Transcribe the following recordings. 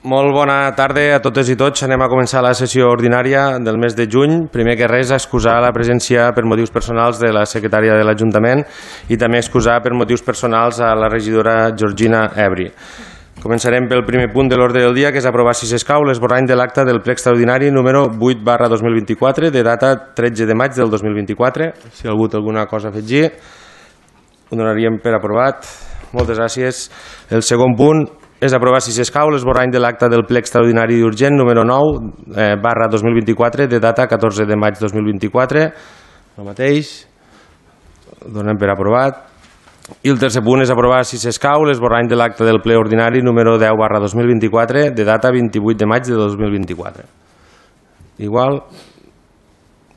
Molt bona tarda a totes i tots. Anem a començar la sessió ordinària del mes de juny. Primer que res, excusar la presència per motius personals de la secretària de l'Ajuntament i també excusar per motius personals a la regidora Georgina Ebri. Començarem pel primer punt de l'ordre del dia, que és aprovar, si s'escau, l'esborrany de l'acte del ple extraordinari número 8/2024, de data 13 de maig del 2024. Si algú té alguna cosa a afegir, ho donaríem per aprovat. Moltes gràcies. El segon punt és aprovar, si s'escau, l'esborrany de l'acte del ple extraordinari urgent número 9/2024, de data 14 de maig 2024. El mateix. Ho donem per aprovat. I el tercer punt és aprovar, si s'escau, l'esborrany de l'acte del ple ordinari número 10/2024, de data 28 de maig de 2024. Igual.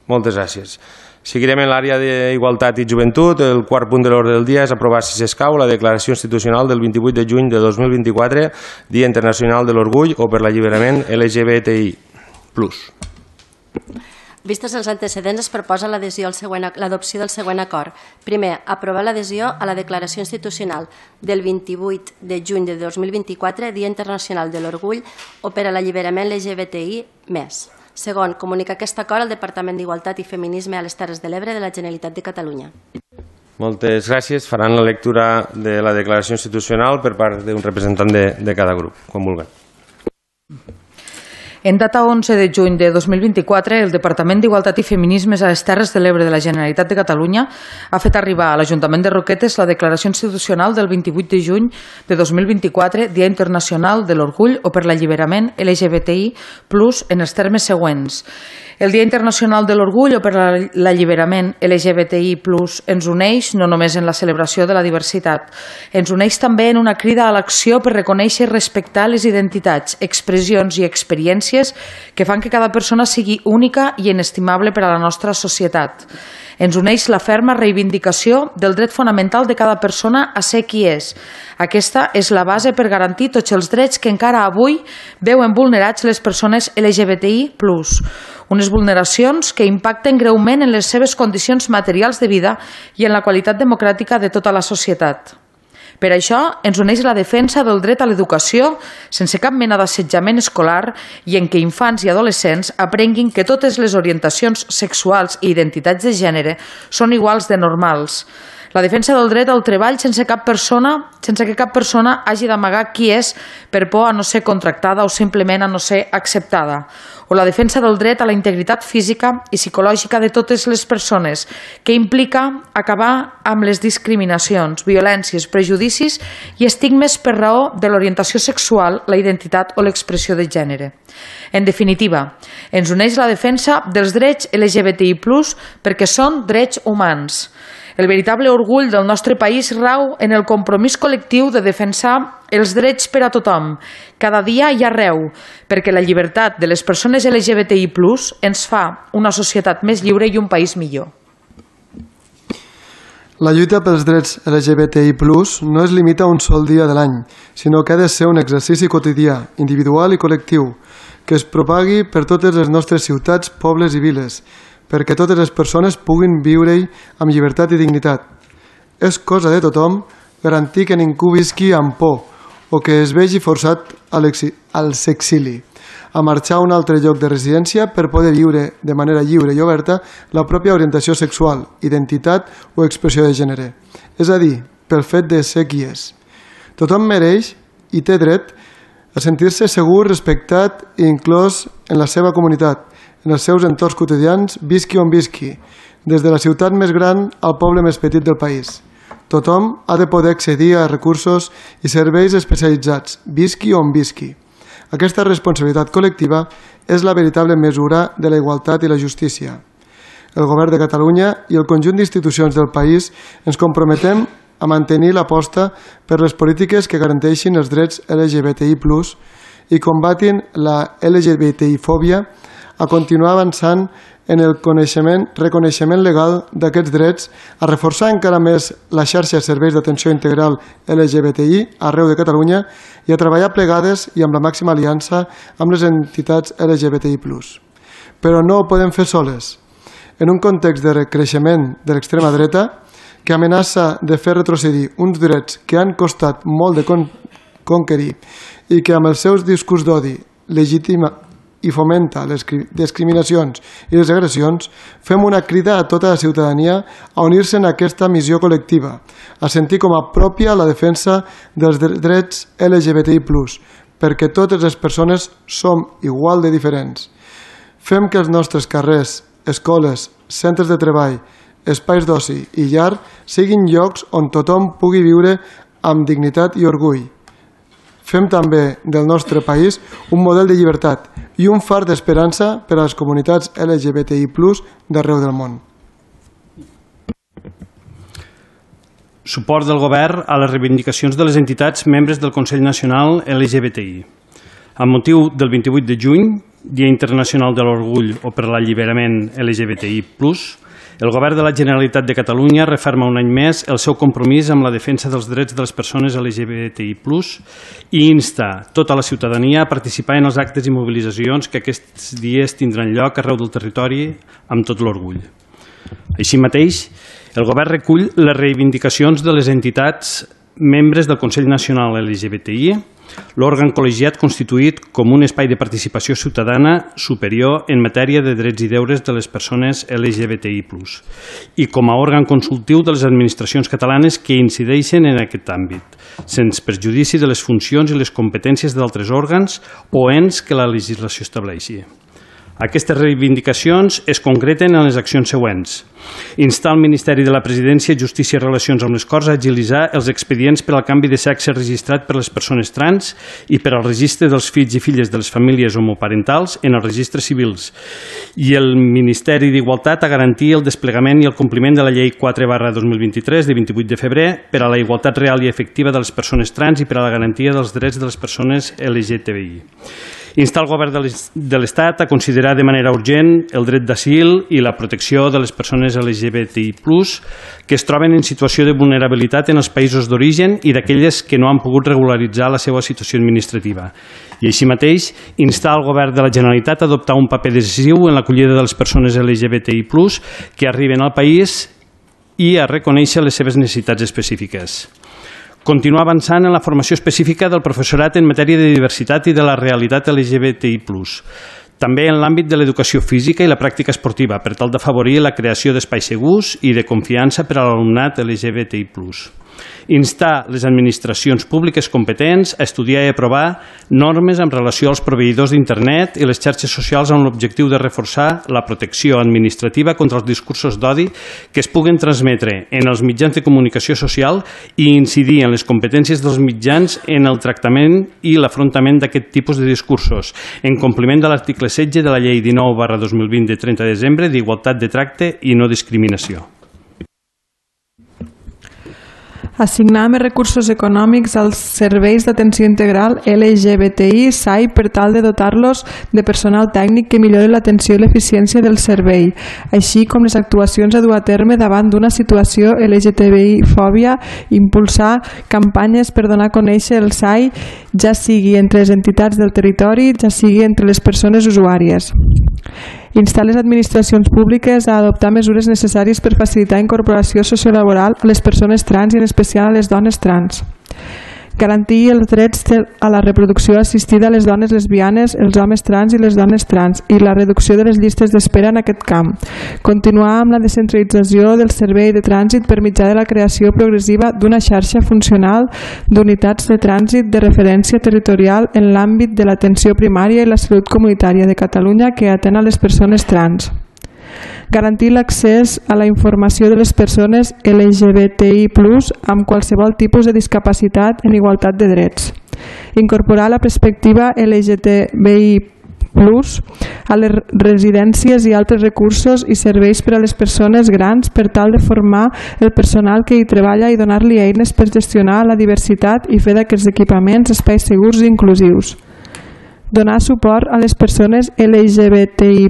Moltes gràcies. Seguirem en l'àrea d'Igualtat i Joventut. El quart punt de l'ordre del dia és aprovar, si s'escau, la declaració institucional del 28 de juny de 2024, Dia Internacional de l'Orgull o per l'Alliberament LGBTI+. Vistos els antecedents, es proposa l'adopció del següent acord. Primer, aprovar l'adhesió a la declaració institucional del 28 de juny de 2024, Dia Internacional de l'Orgull o per a l'Alliberament LGBTI+. Segon, comunicar aquest acord al Departament d'Igualtat i Feminisme a les Terres de l'Ebre de la Generalitat de Catalunya. Moltes gràcies. Faran la lectura de la declaració institucional per part d'un representant de cada grup, quan vulguin. En data 11 de juny de 2024, el Departament d'Igualtat i Feminismes a les Terres de l'Ebre de la Generalitat de Catalunya ha fet arribar a l'Ajuntament de Roquetes la declaració institucional del 28 de juny de 2024, Dia Internacional de l'Orgull o per l'Alliberament LGBTI+, en els termes següents. El Dia Internacional de l'Orgull o per l'Alliberament LGBTI+ ens uneix no només en la celebració de la diversitat, ens uneix també en una crida a l'acció per reconèixer i respectar les identitats, expressions i experiències que fan que cada persona sigui única i inestimable per a la nostra societat. Ens uneix la ferma reivindicació del dret fonamental de cada persona a ser qui és. Aquesta és la base per garantir tots els drets que encara avui veuen vulnerats les persones LGBTI+, unes vulneracions que impacten greument en les seves condicions materials de vida i en la qualitat democràtica de tota la societat. Per això ens uneix la defensa del dret a l'educació sense cap mena d'assetjament escolar i en què infants i adolescents aprenguin que totes les orientacions sexuals i identitats de gènere són iguals de normals. La defensa del dret al treball sense que cap persona hagi d'amagar qui és per por a no ser contractada o simplement a no ser acceptada. O la defensa del dret a la integritat física i psicològica de totes les persones, que implica acabar amb les discriminacions, violències, prejudicis i estigmes per raó de l'orientació sexual, la identitat o l'expressió de gènere. En definitiva, ens uneix la defensa dels drets LGBTI+, perquè són drets humans. El veritable orgull del nostre país rau en el compromís col·lectiu de defensar els drets per a tothom, cada dia i arreu, perquè la llibertat de les persones LGBTI+ ens fa una societat més lliure i un país millor. La lluita pels drets LGBTI+ no es limita a un sol dia de l'any, sinó que ha de ser un exercici quotidià, individual i col·lectiu, que es propagui per totes les nostres ciutats, pobles i viles, perquè totes les persones puguin viure-hi amb llibertat i dignitat. És cosa de tothom garantir que ningú visqui amb por o que es vegi forçat al s'exili, a marxar a un altre lloc de residència per poder viure de manera lliure i oberta la pròpia orientació sexual, identitat o expressió de gènere, és a dir, pel fet de ser qui és. Tothom mereix i té dret a sentir-se segur, respectat i inclòs en la seva comunitat, en els seus entorns quotidians, visqui on visqui, des de la ciutat més gran al poble més petit del país. Tothom ha de poder accedir a recursos i serveis especialitzats, visqui on visqui. Aquesta responsabilitat col·lectiva és la veritable mesura de la igualtat i la justícia. El Govern de Catalunya i el conjunt d'institucions del país ens comprometem a mantenir l'aposta per les polítiques que garanteixin els drets LGBTI+, i combatin la LGBTI-fòbia, a continuar avançant en el reconeixement legal d'aquests drets, a reforçar encara més la xarxa de serveis d'atenció integral LGBTI arreu de Catalunya i a treballar plegades i amb la màxima aliança amb les entitats LGBTI+. Però no ho podem fer soles. En un context de recreixement de l'extrema dreta, que amenaça de fer retrocedir uns drets que han costat molt de conquerir i que amb els seus discurs d'odi legitima i fomenta les discriminacions i les agressions, fem una crida a tota la ciutadania a unir-se en aquesta missió col·lectiva, a sentir com a pròpia la defensa dels drets LGBTI+, perquè totes les persones som igual de diferents. Fem que els nostres carrers, escoles, centres de treball, espais d'oci i llar siguin llocs on tothom pugui viure amb dignitat i orgull. Fem també del nostre país un model de llibertat i un far d'esperança per a les comunitats LGBTI+ d'arreu del món. Suport del Govern a les reivindicacions de les entitats membres del Consell Nacional LGBTI. Amb motiu del 28 de juny, Dia Internacional de l'Orgull o per l'Alliberament LGBTI+, el Govern de la Generalitat de Catalunya referma un any més el seu compromís amb la defensa dels drets de les persones LGBTI+, i insta tota la ciutadania a participar en els actes i mobilitzacions que aquests dies tindran lloc arreu del territori amb tot l'orgull. Així mateix, el Govern recull les reivindicacions de les entitats membres del Consell Nacional LGBTI, l'òrgan col·legiat constituït com un espai de participació ciutadana superior en matèria de drets i deures de les persones LGBTI+, i com a òrgan consultiu de les administracions catalanes que incideixen en aquest àmbit, sense perjudici de les funcions i les competències d'altres òrgans o ens que la legislació estableixi. Aquestes reivindicacions es concreten en les accions següents. Instar el Ministeri de la Presidència, Justícia i Relacions amb les Corts a agilitzar els expedients per al canvi de sexe registrat per les persones trans i per al registre dels fills i filles de les famílies homoparentals en els registres civils, i el Ministeri d'Igualtat a garantir el desplegament i el compliment de la Llei 4/2023 de 28 de febrer per a la igualtat real i efectiva de les persones trans i per a la garantia dels drets de les persones LGTBI. Instar el Govern de l'Estat a considerar de manera urgent el dret d'asil i la protecció de les persones LGBTI+, que es troben en situació de vulnerabilitat en els països d'origen i d'aquelles que no han pogut regularitzar la seva situació administrativa. I així mateix, instar el Govern de la Generalitat a adoptar un paper decisiu en l'acollida de les persones LGBTI+, que arriben al país i a reconèixer les seves necessitats específiques. Continuar avançant en la formació específica del professorat en matèria de diversitat i de la realitat LGBTI+, també en l'àmbit de l'educació física i la pràctica esportiva, per tal d'afavorir la creació d'espais segurs i de confiança per a l'alumnat LGBTI+. Instar les administracions públiques competents a estudiar i aprovar normes en relació als proveïdors d'internet i les xarxes socials amb l'objectiu de reforçar la protecció administrativa contra els discursos d'odi que es puguen transmetre en els mitjans de comunicació social i incidir en les competències dels mitjans en el tractament i l'afrontament d'aquest tipus de discursos, en compliment de l'article 16 de la Llei 19/2020 de 30 de desembre d'Igualtat de Tracte i No Discriminació. Assignar més recursos econòmics als serveis d'atenció integral LGBTI SAI per tal de dotar-los de personal tècnic que millori l'atenció i l'eficiència del servei, així com les actuacions a dur a terme davant d'una situació LGTBI-fòbia, impulsar campanyes per donar a conèixer el SAI, ja sigui entre les entitats del territori, ja sigui entre les persones usuàries. Instar les administracions públiques a adoptar mesures necessàries per facilitar la incorporació sociolaboral a les persones trans i en especial a les dones trans. Garantir els drets a la reproducció assistida a les dones lesbianes, els homes trans i les dones trans i la reducció de les llistes d'espera en aquest camp. Continuar amb la descentralització del servei de trànsit per mitjà de la creació progressiva d'una xarxa funcional d'unitats de trànsit de referència territorial en l'àmbit de l'atenció primària i la salut comunitària de Catalunya que atén a les persones trans. Garantir l'accés a la informació de les persones LGBTI+, amb qualsevol tipus de discapacitat en igualtat de drets. Incorporar la perspectiva LGTBI+ a les residències i altres recursos i serveis per a les persones grans per tal de formar el personal que hi treballa i donar-li eines per gestionar la diversitat i fer d'aquests equipaments espais segurs i inclusius. Donar suport a les persones LGBTI+,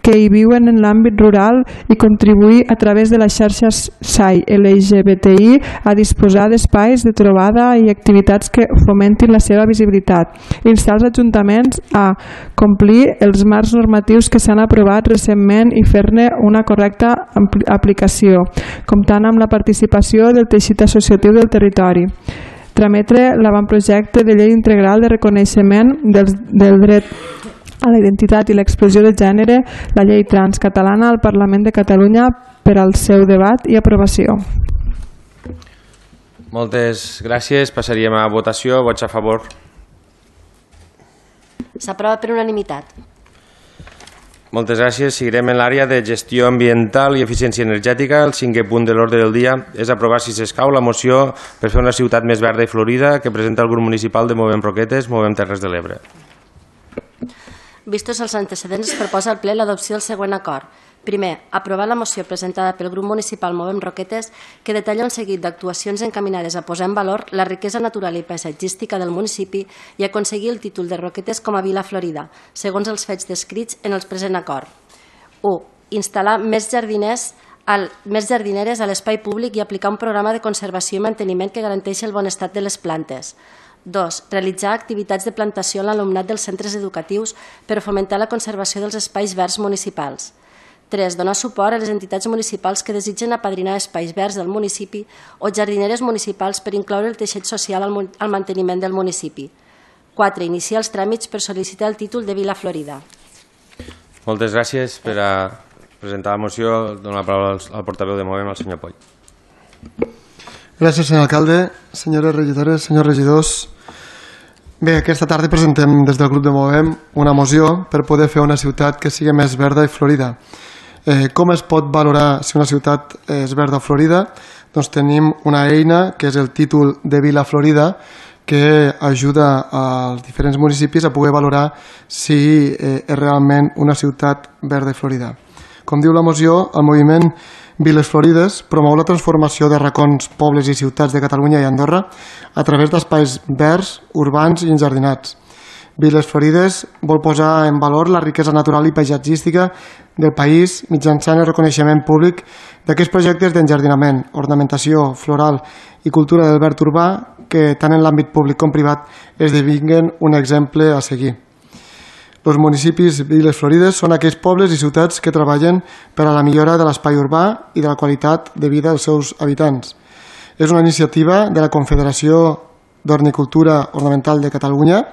que hi viuen en l'àmbit rural i contribuir a través de les xarxes SAI LGBTI a disposar d'espais de trobada i activitats que fomentin la seva visibilitat. Instar els ajuntaments a complir els marcs normatius que s'han aprovat recentment i fer-ne una correcta aplicació, comptant amb la participació del teixit associatiu del territori. trametre l'avantprojecte de llei integral de reconeixement del dret a la identitat i l'expressió de gènere, la llei trans catalana, al Parlament de Catalunya per al seu debat i aprovació. Moltes gràcies. Passaríem a votació. Vots a favor. S'aprova per unanimitat. Moltes gràcies. Seguirem en l'àrea de gestió ambiental i eficiència energètica. El 5è punt de l'ordre del dia és aprovar, si s'escau, la moció per fer una ciutat més verda i florida que presenta el grup municipal de Movem Roquetes, Movem Terres de l'Ebre. Vistos els antecedents, es proposa al ple l'adopció del següent acord. Primer, aprovar la moció presentada pel grup municipal Movem Roquetes que detalla un seguit d'actuacions encaminades a posar en valor la riquesa natural i paisatgística del municipi i aconseguir el títol de Roquetes com a vila florida, segons els fets descrits en el present acord. 1. Instal·lar més jardineres a l'espai públic i aplicar un programa de conservació i manteniment que garanteixi el bon estat de les plantes. 2. Realitzar activitats de plantació a l'alumnat dels centres educatius per fomentar la conservació dels espais verds municipals. 3. Donar suport a les entitats municipals que desitgen apadrinar espais verds del municipi o jardineres municipals per incloure el teixit social al manteniment del municipi. 4. Iniciar els tràmits per sol·licitar el títol de Vila Florida. Moltes gràcies. Per a presentar la moció, dono la paraula al portaveu de Movem, al senyor Poll. Gràcies, senyor alcalde, senyores regidores, senyors regidors. Bé, aquesta tarda presentem des del grup de Movem una moció per poder fer una ciutat que sigui més verda i florida. Com es pot valorar si una ciutat és verda o florida? Doncs tenim una eina que és el títol de Vila Florida que ajuda als diferents municipis a poder valorar si és realment una ciutat verda i florida. Com diu la moció, el moviment Viles Florides promou la transformació de racons, pobles i ciutats de Catalunya i Andorra a través d'espais verds, urbans i enjardinats. Viles Florides vol posar en valor la riquesa natural i paisatgística del país mitjançant el reconeixement públic d'aquests projectes d'enjardinament, ornamentació floral i cultura del verd urbà que tant en l'àmbit públic com privat esdevinguen un exemple a seguir. Els municipis Viles Florides són aquells pobles i ciutats que treballen per a la millora de l'espai urbà i de la qualitat de vida dels seus habitants. És una iniciativa de la Confederació d'Horticultura Ornamental de Catalunya,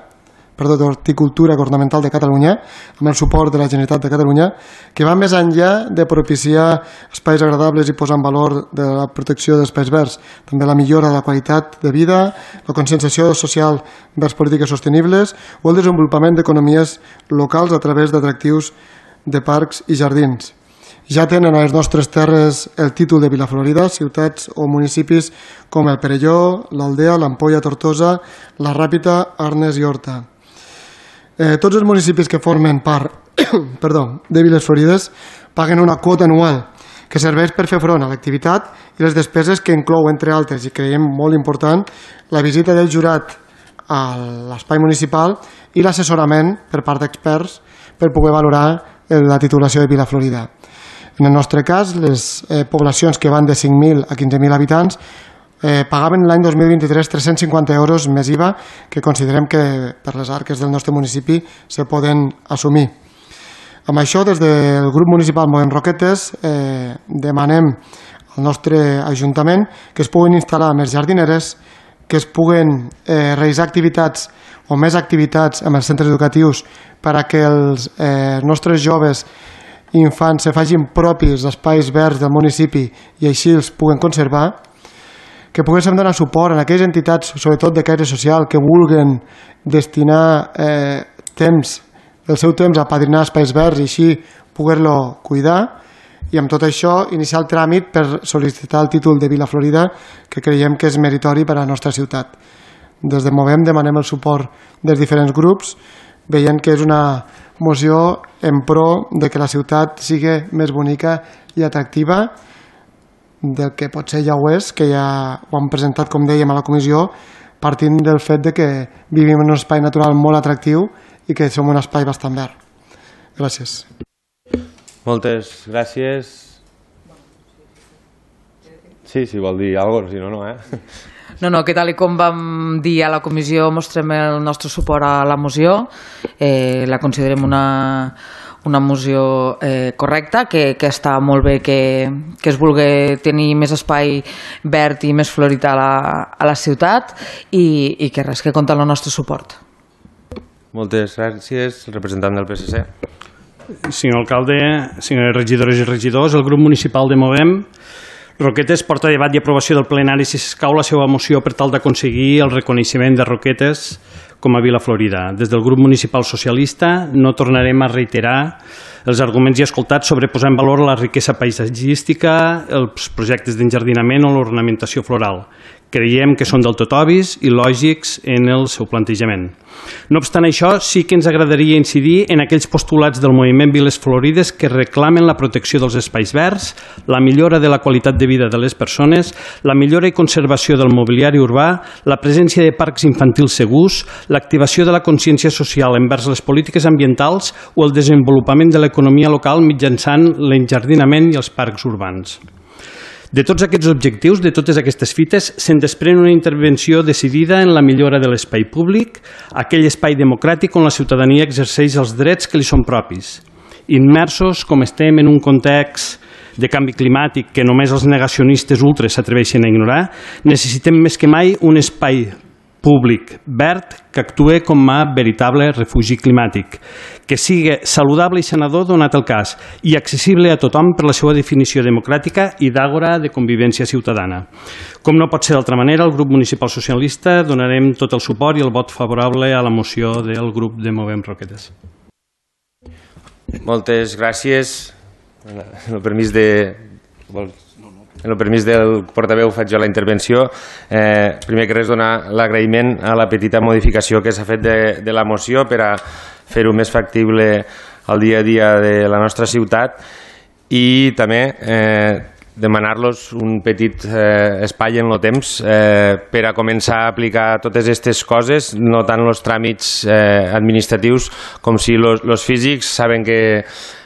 amb el suport de la Generalitat de Catalunya, que va més enllà de propiciar espais agradables i posar en valor de la protecció d'espais verds, també la millora de la qualitat de vida, la conscienciació social vers polítiques sostenibles o el desenvolupament d'economies locals a través d'atractius de parcs i jardins. Ja tenen a les nostres terres el títol de Vila Florida ciutats o municipis com el Perelló, l'Aldea, l'Ampolla, Tortosa, la Ràpita, Arnes i Horta. Tots els municipis que formen part de Viles Florides paguen una quota anual que serveix per fer front a l'activitat i les despeses que inclou, entre altres, i creiem molt important, la visita del jurat a l'espai municipal i l'assessorament per part d'experts per poder valorar la titulació de Vila Florida. En el nostre cas, les poblacions que van de 5.000 a 15.000 habitants pagaven l'any 2023 350 euros més IVA, que considerem que per les arques del nostre municipi se poden assumir. Amb això, des del grup municipal Movem Roquetes, demanem al nostre Ajuntament que es puguin instal·lar més jardineres, que es puguen realitzar activitats o més activitats amb els centres educatius per a que els nostres joves i infants se facin propis d'espais verds del municipi i així els puguen conservar, que poguéssim donar suport a aquelles entitats, sobretot de caire social, que vulguen destinar el seu temps a apadrinar espais verds i així poder-lo cuidar, i amb tot això iniciar el tràmit per sol·licitar el títol de Vila Florida, que creiem que és meritori per a la nostra ciutat. Des de Movem demanem el suport dels diferents grups, veient que és una moció en pro de que la ciutat sigui més bonica i atractiva del que potser ja ho és, que ja ho hem presentat, com dèiem, a la comissió, partint del fet de que vivim en un espai natural molt atractiu i que som un espai bastant verd. Gràcies. Moltes gràcies. Sí, si vol dir alguna cosa, si no, no, No, que tal com vam dir a la comissió, mostrem el nostre suport a la moció, la considerem una moció correcta, que està molt bé que es vulgui tenir més espai verd i més florit a la ciutat i que res, que compta amb el nostre suport. Moltes gràcies, representant del PSC. Senyor alcalde, senyores regidores i regidors, el grup municipal de Movem Roquetes porta a debat i aprovació del plenari, si s'escau, la seva moció per tal d'aconseguir el reconeixement de Roquetes com a Vila Florida. Des del grup municipal socialista no tornarem a reiterar els arguments ja escoltats sobre posar en valor la riquesa paisatgística, els projectes d'enjardinament o l'ornamentació floral. Creiem que són del tot obvis i lògics en el seu plantejament. No obstant això, sí que ens agradaria incidir en aquells postulats del moviment Viles Florides que reclamen la protecció dels espais verds, la millora de la qualitat de vida de les persones, la millora i conservació del mobiliari urbà, la presència de parcs infantils segurs, l'activació de la consciència social envers les polítiques ambientals o el desenvolupament de l'economia local mitjançant l'enjardinament i els parcs urbans. De tots aquests objectius, de totes aquestes fites, se'n desprèn una intervenció decidida en la millora de l'espai públic, aquell espai democràtic on la ciutadania exerceix els drets que li són propis. Immersos, com estem en un context de canvi climàtic que només els negacionistes ultres s'atreveixen a ignorar, necessitem més que mai un espai públic verd que actuï com a veritable refugi climàtic, que sigui saludable i sanador donat el cas i accessible a tothom per la seva definició democràtica i d'àgora de convivència ciutadana. Com no pot ser d'altra manera, el grup municipal socialista donarem tot el suport i el vot favorable a la moció del grup de Movem Roquetes. Moltes gràcies. En el permís del portaveu faig jo la intervenció. Primer que res, donar l'agraïment a la petita modificació que s'ha fet de la moció per a fer-ho més factible al dia a dia de la nostra ciutat i també demanar-los un petit espai en el temps per a començar a aplicar totes aquestes coses, no tant els tràmits administratius com si els físics. Saben que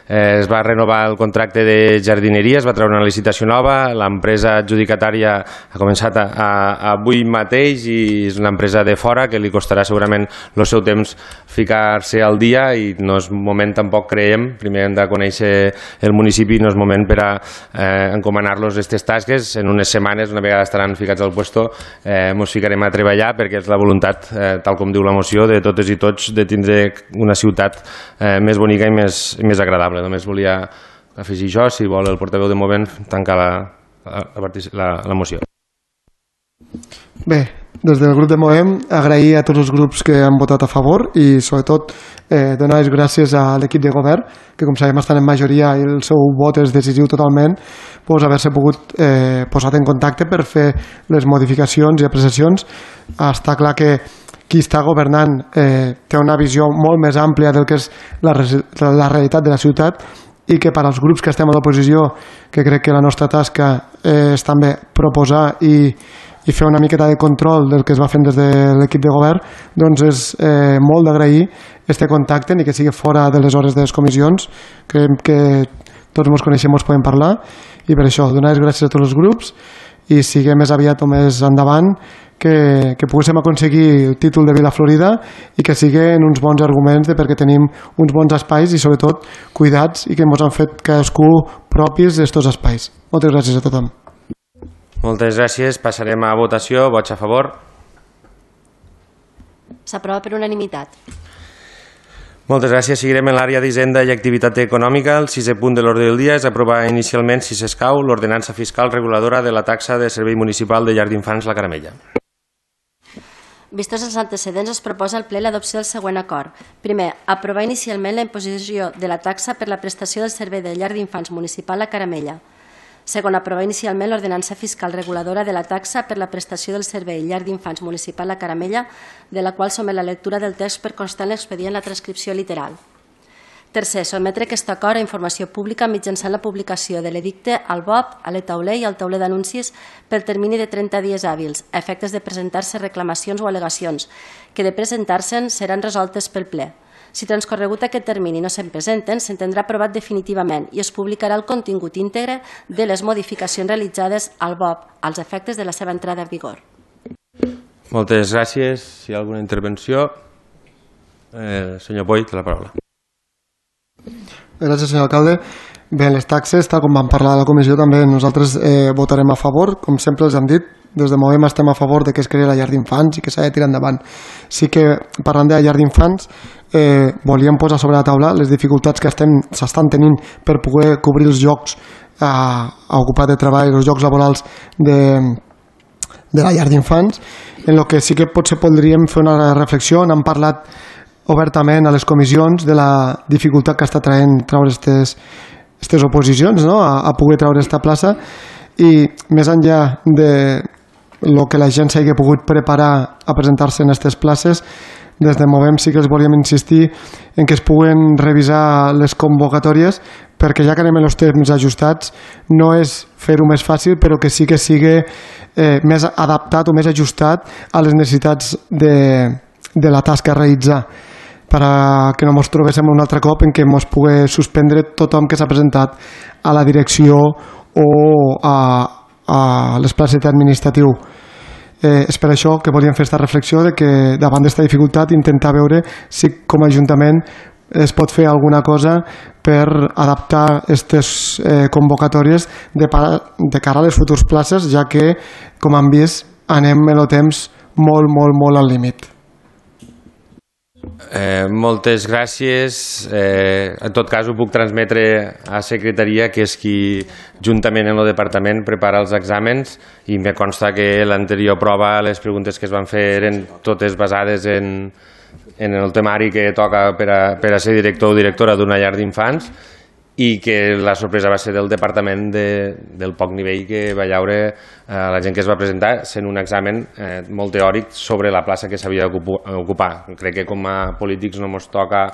es va renovar el contracte de jardineria, es va treure una licitació nova, l'empresa adjudicatària ha començat avui mateix i és una empresa de fora que li costarà segurament el seu temps ficar-se al dia i no és moment tampoc, creiem, primer hem de conèixer el municipi, no és moment per a encomanar-los aquestes tasques. En unes setmanes, una vegada estaran ficats al puesto, ens ficarem a treballar perquè és la voluntat, tal com diu la moció, de totes i tots de tindre una ciutat més bonica i més agradable. Només volia afegir això, si vol el portaveu de Movem tancar la moció. Bé, des del grup de Movem agrair a tots els grups que han votat a favor i sobretot donar les gràcies a l'equip de govern, que com sabem estan en majoria i el seu vot és decisiu totalment, doncs haver-se pogut posat en contacte per fer les modificacions i apreciacions. Està clar que qui està governant té una visió molt més àmplia del que és la realitat de la ciutat i que per als grups que estem a l'oposició, que crec que la nostra tasca és també proposar i fer una miqueta de control del que es va fent des de l'equip de govern, doncs és molt d'agrair este contacte, ni que sigui fora de les hores de les comissions, que tots ens coneixem, ens podem parlar, i per això donar les gràcies a tots els grups i siguem més aviat o més endavant que poguéssim aconseguir el títol de Vila Florida i que siguin uns bons arguments de perquè tenim uns bons espais i sobretot cuidats i que ens han fet cadascú propis d'estos espais. Moltes gràcies a tothom. Moltes gràcies. Passarem a votació. Vots a favor? S'aprova per unanimitat. Moltes gràcies. Seguirem en l'àrea d'Hisenda i Activitat Econòmica. El 6è punt de l'ordre del dia és aprovar inicialment, si s'escau, l'ordenança fiscal reguladora de la taxa de servei municipal de llar d'infants La Caramella. Vistos els antecedents, es proposa al ple l'adopció del següent acord. Primer, aprovar inicialment la imposició de la taxa per la prestació del servei de llar d'infants municipal La Caramella. Segon, aprovar inicialment l'ordenança fiscal reguladora de la taxa per la prestació del servei llar d'infants municipal La Caramella, de la qual somet la lectura del text per constar en l'expedient la transcripció literal. Tercer, sotmetre aquest acord a informació pública mitjançant la publicació de l'edicte al BOP, a l'e-tauler i al tauler d'anuncis pel termini de 30 dies hàbils, a efectes de presentar-se reclamacions o al·legacions, que de presentar-se'n seran resoltes pel ple. Si transcorregut aquest termini no se'n presenten, s'entendrà aprovat definitivament i es publicarà el contingut íntegre de les modificacions realitzades al BOP als efectes de la seva entrada en vigor. Moltes gràcies. Si hi ha alguna intervenció, senyor Boy, té la paraula. Gràcies, senyor alcalde. Bé, les taxes, tal com vam parlar a la comissió, també nosaltres votarem a favor, com sempre els hem dit. Des de Movem estem a favor de que es creï la llar d'infants i que s'ha de tirar endavant. Sí que, parlant de la llar d'infants, volíem posar sobre la taula les dificultats que s'estan tenint per poder cobrir els llocs a ocupar de treball, els llocs laborals de la llar d'infants, en el que sí que potser podríem fer una reflexió. N'hem parlat obertament a les comissions de la dificultat que està traient treure aquestes oposicions, no? a poder treure aquesta plaça, i més enllà de el que la gent s'hagi pogut preparar a presentar-se en aquestes places, des de Movem sí que els volíem insistir en que es puguen revisar les convocatòries, perquè ja que anem en els temps ajustats, no és fer-ho més fàcil, però que sí que sigui més adaptat o més ajustat a les necessitats de la tasca a realitzar, perquè no ens trobéssim un altre cop en què ens pugui suspendre tothom que s'ha presentat a la direcció o a l'esplacet administratiu. És per això que volíem fer aquesta reflexió de que davant d'aquesta dificultat intentar veure si com a Ajuntament es pot fer alguna cosa per adaptar aquestes convocatòries de cara a les futures places, ja que, com han vist, anem en el temps molt al límit. Moltes gràcies. En tot cas ho puc transmetre a secretaria, que és qui juntament amb el departament prepara els exàmens, i me consta que l'anterior prova, les preguntes que es van fer eren totes basades en el temari que toca per a ser director o directora d'una llar d'infants, i que la sorpresa va ser del departament del poc nivell que va llaure la gent que es va presentar, sent un examen molt teòric sobre la plaça que s'havia d'ocupar. Crec que com a polítics no ens toca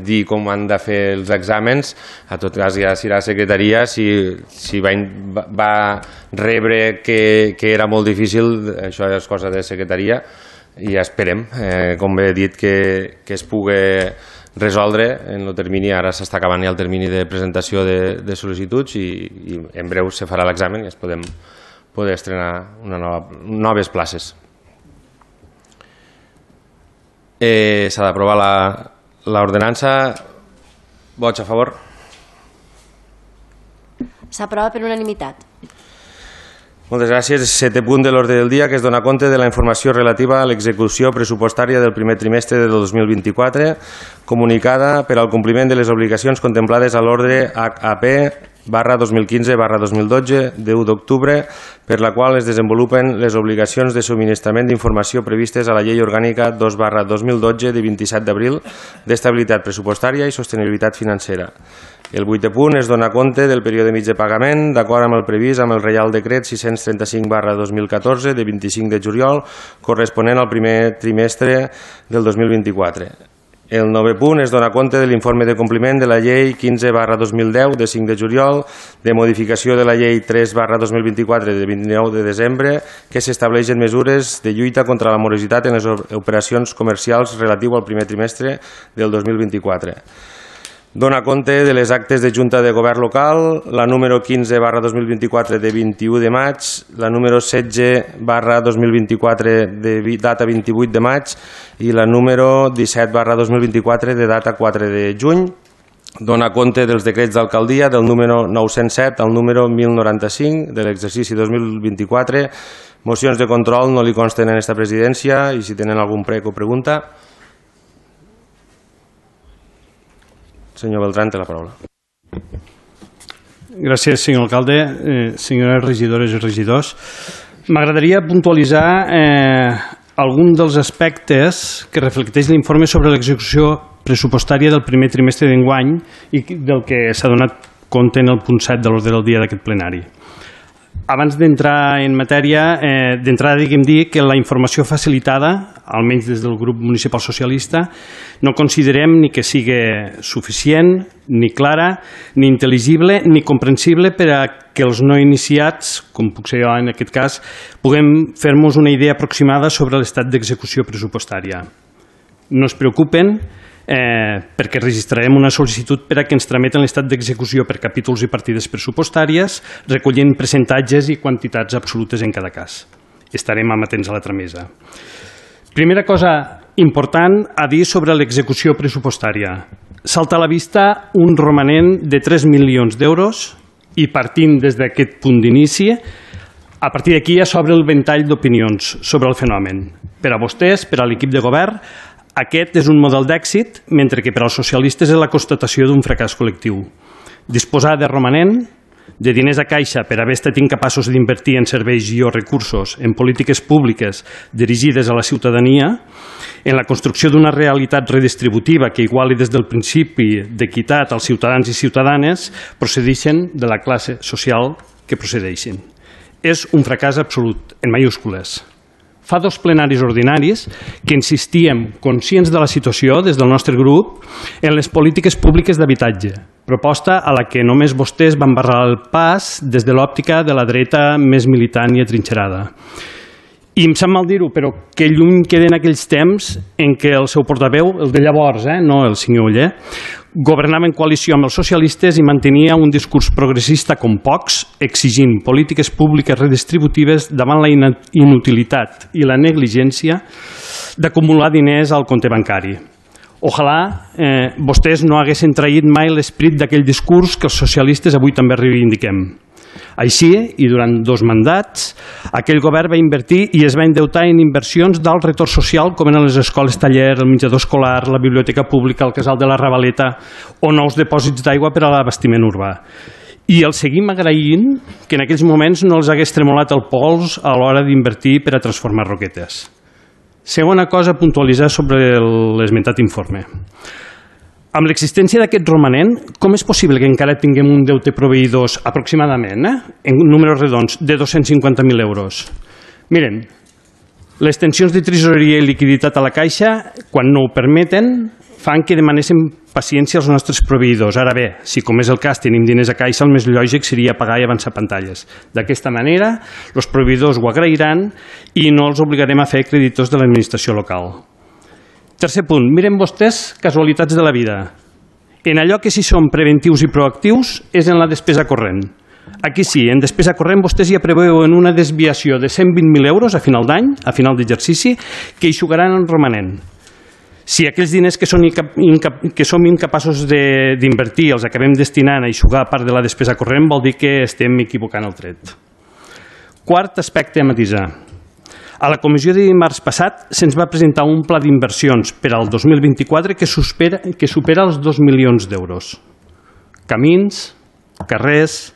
dir com han de fer els exàmens. A tot cas, ja si la secretaria si va rebre que era molt difícil, això és cosa de secretaria, i esperem, com bé he dit, que es pugui resoldre en el termini. Ara s'està acabant ja el termini de presentació de sol·licituds i en breu se farà l'examen i es podem poder estrenar noves places. S'ha d'aprovar l'ordenança. Vots a favor? S'aprova per unanimitat. Moltes gràcies. 7è punt de l'ordre del dia, que es dona compte de la informació relativa a l'execució pressupostària del primer trimestre del 2024, comunicada per al compliment de les obligacions contemplades a l'ordre HAP/2015/2012 de 1 d'octubre, per la qual es desenvolupen les obligacions de subministrament d'informació previstes a la Llei Orgànica 2/2012 de 27 d'abril d'estabilitat pressupostària i sostenibilitat financera. El 8è punt es dona compte del període mig de pagament, d'acord amb el previst amb el Reial Decret 635/2014 de 25 de juliol, corresponent al primer trimestre del 2024. El 9è punt es dona compte de l'informe de compliment de la Llei 15/2010 de 5 de juliol, de modificació de la Llei 3/2024 de 29 de desembre, que s'estableixen mesures de lluita contra la morositat en les operacions comercials relatiu al primer trimestre del 2024. Dona compte de les actes de Junta de Govern Local, la número 15/2024 de 21 de maig, la número 16/2024 de data 28 de maig i la número 17/2024 de data 4 de juny. Dona compte dels decrets d'alcaldia del número 907 al número 1095 de l'exercici 2024. Mocions de control no li consten en aquesta presidència, i si tenen algun prec o pregunta. Senyor Beltrán, té la paraula. Gràcies, senyor alcalde. Senyores regidores i regidors, m'agradaria puntualitzar algun dels aspectes que reflecteix l'informe sobre l'execució pressupostària del primer trimestre d'enguany i del que s'ha donat compte en el punt 7 de l'ordre del dia d'aquest plenari. Abans d'entrar en matèria, d'entrada diguem dir que la informació facilitada, almenys des del grup municipal socialista, no considerem ni que sigui suficient, ni clara, ni intel·ligible, ni comprensible per a que els no iniciats, com puc ser jo en aquest cas, puguem fer-nos una idea aproximada sobre l'estat d'execució pressupostària. No es preocupen, perquè registrarem una sol·licitud per a que ens trameten l'estat d'execució per capítols i partides pressupostàries, recollint percentatges i quantitats absolutes en cada cas. Estarem amatents a la tramesa. Primera cosa important a dir sobre l'execució pressupostària. salta a la vista un romanent de 3 milions d'euros i partint des d'aquest punt d'inici, a partir d'aquí ja s'obre el ventall d'opinions sobre el fenomen. Per a vostès, per a l'equip de govern, aquest és un model d'èxit, mentre que per als socialistes és la constatació d'un fracàs col·lectiu. Disposar de romanent, de diners a caixa per haver estat incapaços d'invertir en serveis i o recursos, en polítiques públiques dirigides a la ciutadania, en la construcció d'una realitat redistributiva que iguali des del principi d'equitat als ciutadans i ciutadanes, procedeixen de la classe social que procedeixen. És un fracàs absolut, en mayúscules. Fa 2 plenaris ordinaris que insistíem, conscients de la situació des del nostre grup, en les polítiques públiques d'habitatge, proposta a la que només vostès van barrar el pas des de l'òptica de la dreta més militant i atrinxerada. I em sap mal dir-ho, però que lluny queden aquells temps en què el seu portaveu, el de llavors, no el senyor Oller, governava en coalició amb els socialistes i mantenia un discurs progressista com pocs, exigint polítiques públiques redistributives davant la inutilitat i la negligència d'acumular diners al compte bancari. Ojalà vostès no haguessin traït mai l'esperit d'aquell discurs que els socialistes avui també reivindiquem. Així, i durant 2 mandats, aquell govern va invertir i es va endeutar en inversions d'alt retorn social com eren les escoles taller, el menjador escolar, la biblioteca pública, el casal de la Ravaleta o nous dipòsits d'aigua per a l'abastiment urbà. I els seguim agraint que en aquells moments no els hagués tremolat el pols a l'hora d'invertir per a transformar Roquetes. Segona cosa a puntualitzar sobre l'esmentat informe. Amb l'existència d'aquest romanent, com és possible que encara tinguem un deute proveïdors aproximadament, en números redons, de 250.000 euros? Miren, les tensions de tresoreria i liquiditat a la caixa, quan no ho permeten, fan que demanéssim paciència als nostres proveïdors. Ara bé, si com és el cas tenim diners a caixa, el més lògic seria pagar i avançar pantalles. D'aquesta manera, els proveïdors ho agrairan i no els obligarem a fer creditors de l'administració local. Tercer punt, miren vostès casualitats de la vida. En allò que sí som preventius i proactius és en la despesa corrent. Aquí sí, en despesa corrent vostès ja preveuen una desviació de 120.000 euros a final d'any, a final d'exercici, que eixugaran el romanent. Si aquells diners que som incapaços d'invertir els acabem destinant a eixugar part de la despesa corrent, vol dir que estem equivocant el tret. Quart aspecte a matisar. A la comissió de dimarts passat se'ns va presentar un pla d'inversions per al 2024 que supera els 2 milions d'euros. Camins, carrers,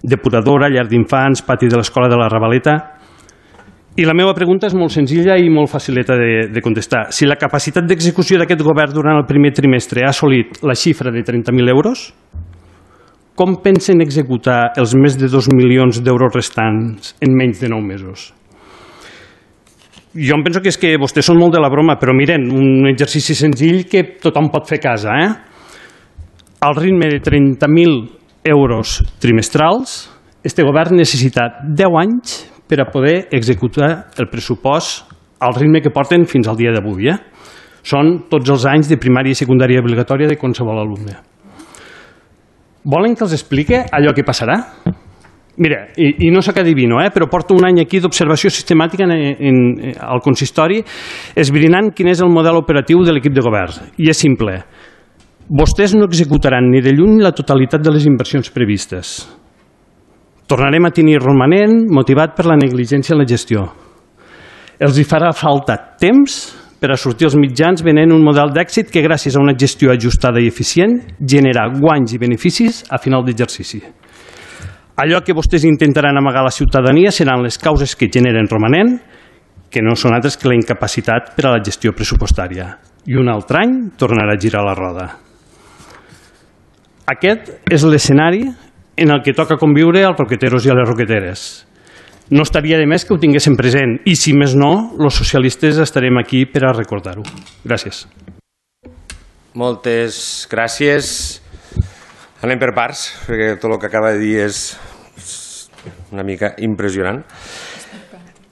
depuradora, llar d'infants, pati de l'escola de la Ravaleta. I la meva pregunta és molt senzilla i molt facileta de contestar. Si la capacitat d'execució d'aquest govern durant el primer trimestre ha assolit la xifra de 30.000 euros, com pensen executar els més de 2 milions d'euros restants en menys de 9 mesos? Jo em penso que és que vostès són molt de la broma, però miren, un exercici senzill que tothom pot fer a casa. Al ritme de 30.000 euros trimestrals, este govern necessita 10 anys per a poder executar el pressupost al ritme que porten fins al dia d'avui. Són tots els anys de primària i secundària obligatòria de qualsevol alumne. Volen que els explique allò que passarà? Mira, i no sóc adivino, però porto un any aquí d'observació sistemàtica al consistori esbrinant quin és el model operatiu de l'equip de govern. I és simple. Vostès no executaran ni de lluny la totalitat de les inversions previstes. Tornarem a tenir romanent motivat per la negligència en la gestió. Els hi farà falta temps per a sortir als mitjans venent un model d'èxit que gràcies a una gestió ajustada i eficient genera guanys i beneficis a final d'exercici. Allò que vostès intentaran amagar a la ciutadania seran les causes que generen romanent, que no són altres que la incapacitat per a la gestió pressupostària. I un altre any tornarà a girar la roda. Aquest és l'escenari en el que toca conviure als roqueteros i a les roqueteres. No estaria de més que ho tinguéssim present i, si més no, els socialistes estarem aquí per a recordar-ho. Gràcies. Moltes gràcies. Anem per parts, perquè tot el que acaba de dir és una mica impressionant.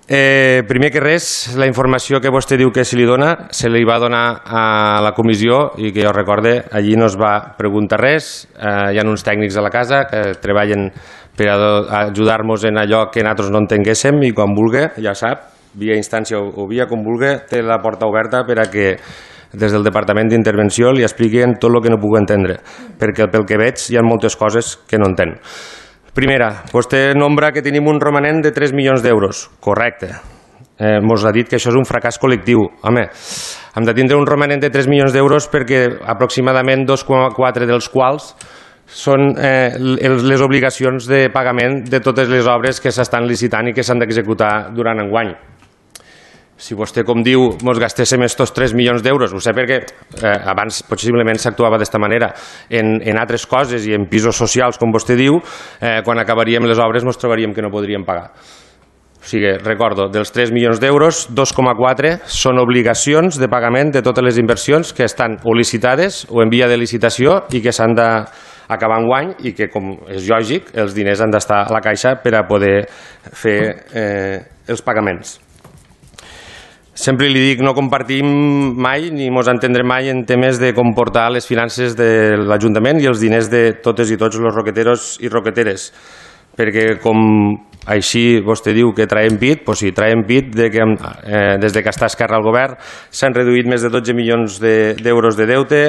Primer que res, la informació que vostè diu que se li dona, se li va donar a la comissió i que jo recorde, allí no es va preguntar res. Hi ha uns tècnics a la casa que treballen per ajudar-nos en allò que nosaltres no entenguéssim i quan vulgui, ja sap, via instància o via com vulgui, té la porta oberta per a que des del Departament d'Intervenció li expliquen tot el que no puc entendre, perquè pel que veig hi ha moltes coses que no entenc. Primera, vostè nombra que tenim un romanent de 3 milions d'euros. Correcte. Mos ha dit que això és un fracàs col·lectiu. Home, hem de tindre un romanent de 3 milions d'euros perquè aproximadament 2,4 dels quals són les obligacions de pagament de totes les obres que s'estan licitant i que s'han d'executar durant enguany. Si vostè, com diu, ens gastéssim estos 3 milions d'euros, ho sé perquè abans possiblement s'actuava d'esta manera, en altres coses i en pisos socials, com vostè diu, quan acabaríem les obres ens trobaríem que no podríem pagar. O sigui, recordo, dels 3 milions d'euros, 2,4 són obligacions de pagament de totes les inversions que estan o licitades o en via de licitació i que s'han d'acabar enguany i que, com és lògic, els diners han d'estar a la caixa per a poder fer els pagaments. Sempre li dic, no compartim mai ni ens entendrem mai en temes de comportar les finances de l'Ajuntament i els diners de totes i tots els roqueteros i roqueteres, perquè com així vostè diu que traiem pit, doncs sí, traiem pit des que està Esquerra al govern s'han reduït més de 12 milions d'euros de deute,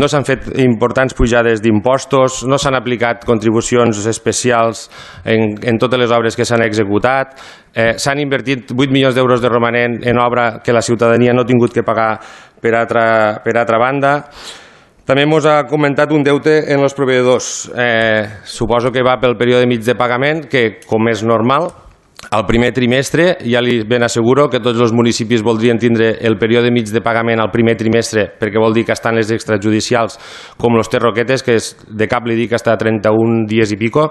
no s'han fet importants pujades d'impostos, no s'han aplicat contribucions especials en totes les obres que s'han executat, s'han invertit 8 milions d'euros de romanent en obra que la ciutadania no ha tingut que pagar per altra banda. També ens ha comentat un deute en els proveïdors. Suposo que va pel període mig de pagament, que, com és normal, al primer trimestre, ja li ben asseguro que tots els municipis voldrien tindre el període mig de pagament al primer trimestre, perquè vol dir que estan les extrajudicials, com els Roquetes, que de cap li dic que està a 31 dies i pico.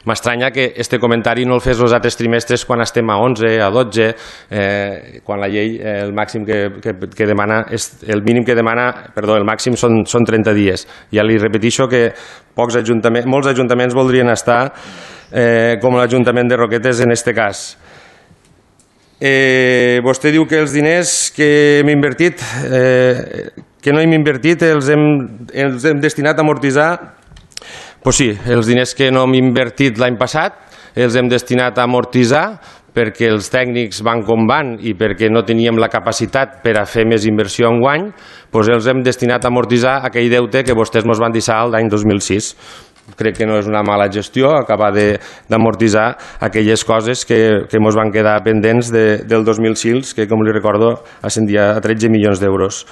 M'estranya que este comentari no el fes els altres trimestres quan estem a 11, a 12, quan la llei el màxim que demana, el mínim que demana, perdó, el màxim són 30 dies. Ja li repetixo que molts ajuntaments voldrien estar com l'Ajuntament de Roquetes en este cas. Vostè diu que els diners que hem invertit, que no hem invertit, els hem destinat a amortitzar. Pues sí, els diners que no hem invertit l'any passat els hem destinat a amortitzar perquè els tècnics van com van i perquè no teníem la capacitat per a fer més inversió enguany, doncs els hem destinat a amortitzar aquell deute que vostès ens van deixar l'any 2006. Crec que no és una mala gestió acabar d'amortitzar aquelles coses que ens van quedar pendents del 2006, que, com li recordo, ascendia a 13 milions d'euros.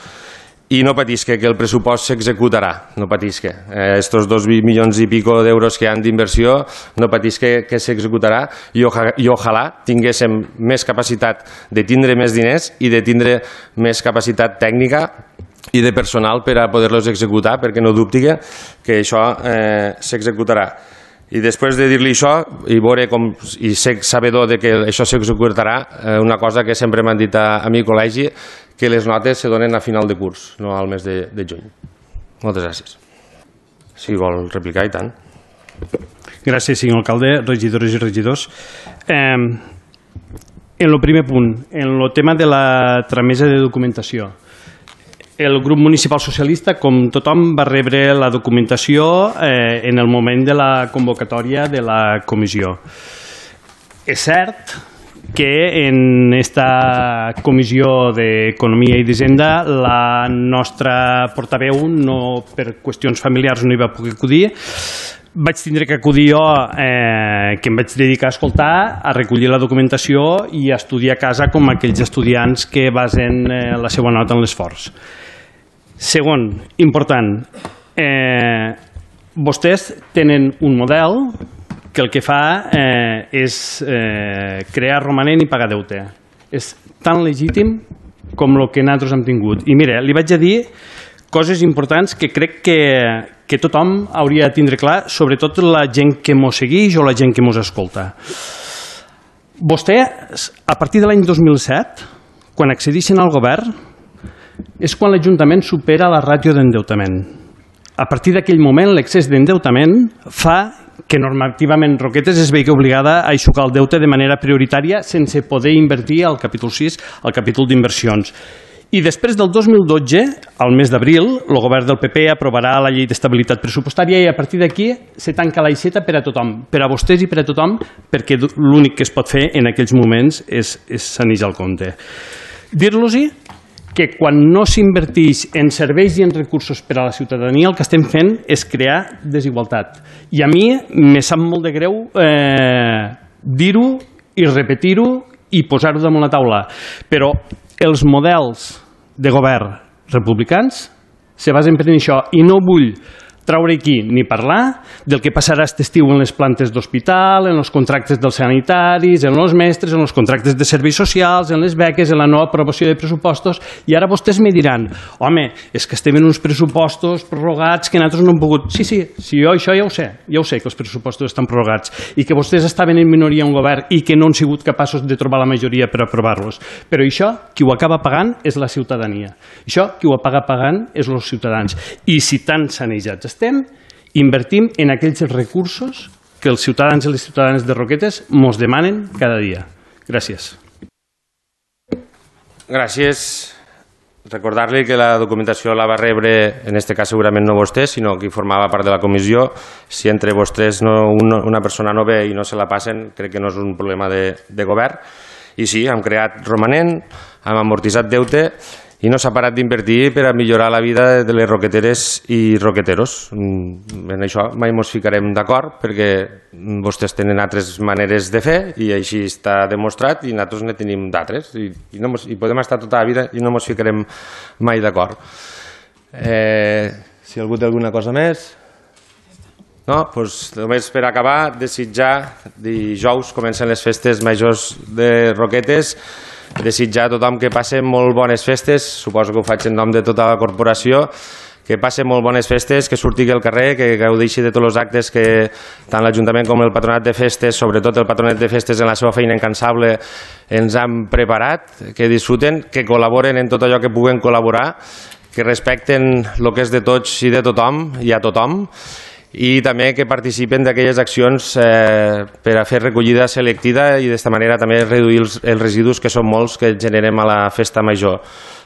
I no patisca, que el pressupost s'executarà, no patisca. Estos 2 milions i pico d'euros que han d'inversió, no patisca que s'executarà i ojalà tinguéssim més capacitat de tindre més diners i de tindre més capacitat tècnica i de personal per a poder-los executar, perquè no dubti que això s'executarà. I després de dir-li això i ser sabedor que això s'executarà, una cosa que sempre m'han dit a mi col·legi, que les notes se donen a final de curs, no al mes de juny. Moltes gràcies. Si vol replicar, i tant. Gràcies, senyor alcalde, regidores i regidors. En el primer punt, en el tema de la tramesa de documentació, el grup municipal socialista, com tothom, va rebre la documentació en el moment de la convocatòria de la comissió. És cert que en esta comissió d'Economia i d'Hisenda la nostra portaveu, per qüestions familiars, no hi va poder acudir. Vaig tindre que acudir jo, que em vaig dedicar a escoltar, a recollir la documentació i a estudiar a casa com aquells estudiants que basen la seva nota en l'esforç. Segon, important, vostès tenen un model que el que fa és crear romanent i pagar deute. És tan legítim com el que nosaltres hem tingut. I mira, li vaig a dir coses importants que crec que tothom hauria de tindre clar, sobretot la gent que mos segueix o la gent que mos escolta. Vostè, a partir de l'any 2007, quan accedeixen al govern, és quan l'Ajuntament supera la ràtio d'endeutament. A partir d'aquell moment, l'excés d'endeutament fa que normativament Roquetes es vegi obligada a aixugar el deute de manera prioritària sense poder invertir al capítol 6, al capítol d'inversions. I després del 2012, al mes d'abril, el govern del PP aprovarà la llei d'estabilitat pressupostària i a partir d'aquí se tanca l'aixeta per a tothom, per a vostès i per a tothom, perquè l'únic que es pot fer en aquells moments és sanejar el compte. Dir-los-hi que quan no s'inverteix en serveis i en recursos per a la ciutadania el que estem fent és crear desigualtat. I a mi me sap molt de greu dir-ho i repetir-ho i posar-ho damunt la taula. Però els models de govern republicans se basen per això i no vull traure aquí ni parlar del que passarà aquest estiu en les plantes d'hospital, en els contractes dels sanitaris, en els mestres, en els contractes de serveis socials, en les beques, en la nova aprovació de pressupostos, i ara vostès me diran, home, és que estem en uns pressupostos prorrogats que nosaltres no hem pogut... Sí, jo això ja ho sé que els pressupostos estan prorrogats i que vostès estaven en minoria en govern i que no han sigut capaços de trobar la majoria per aprovar-los. Però això, qui ho acaba pagant és la ciutadania. Això, qui ho acaba pagant és els ciutadans. I si tan sanejats invertim en aquells recursos que els ciutadans i les ciutadanes de Roquetes mos demanen cada dia. Gràcies. Gràcies. Recordar-li que la documentació la va rebre, en aquest cas segurament no vostè, sinó qui formava part de la comissió. Si entre vostès una persona no ve i no se la passen, crec que no és un problema de govern. I sí, hem creat romanent, hem amortitzat deute i no s'ha parat d'invertir per a millorar la vida de les roqueteres i roqueteros. En això mai ens ficarem d'acord perquè vostès tenen altres maneres de fer i així està demostrat i nosaltres ne tenim d'altres i podem estar tota la vida i no ens ficarem mai d'acord. Si algú té alguna cosa més... No? Doncs només per acabar, desitjar, dijous comencen les festes majors de Roquetes, desitjar a tothom que passe molt bones festes, suposo que ho faig en nom de tota la corporació, que passe molt bones festes, que surti al carrer, que gaudeixi de tots els actes que tant l'Ajuntament com el Patronat de Festes, sobretot el Patronat de Festes en la seva feina incansable, ens han preparat, que disfruten, que col·laboren en tot allò que puguen col·laborar, que respecten el que és de tots i de tothom i a tothom, i també que participen d'aquelles accions per a fer recollida selectiva i d'esta manera també reduir els residus que són molts que generem a la festa major.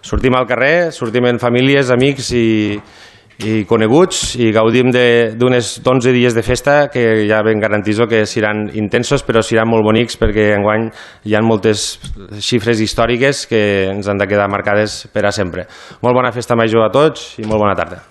Sortim al carrer, sortim en famílies, amics i coneguts i gaudim d'uns 11 dies de festa que ja ben garantizo que seran intensos però seran molt bonics perquè enguany hi ha moltes xifres històriques que ens han de quedar marcades per a sempre. Molt bona festa major a tots i molt bona tarda.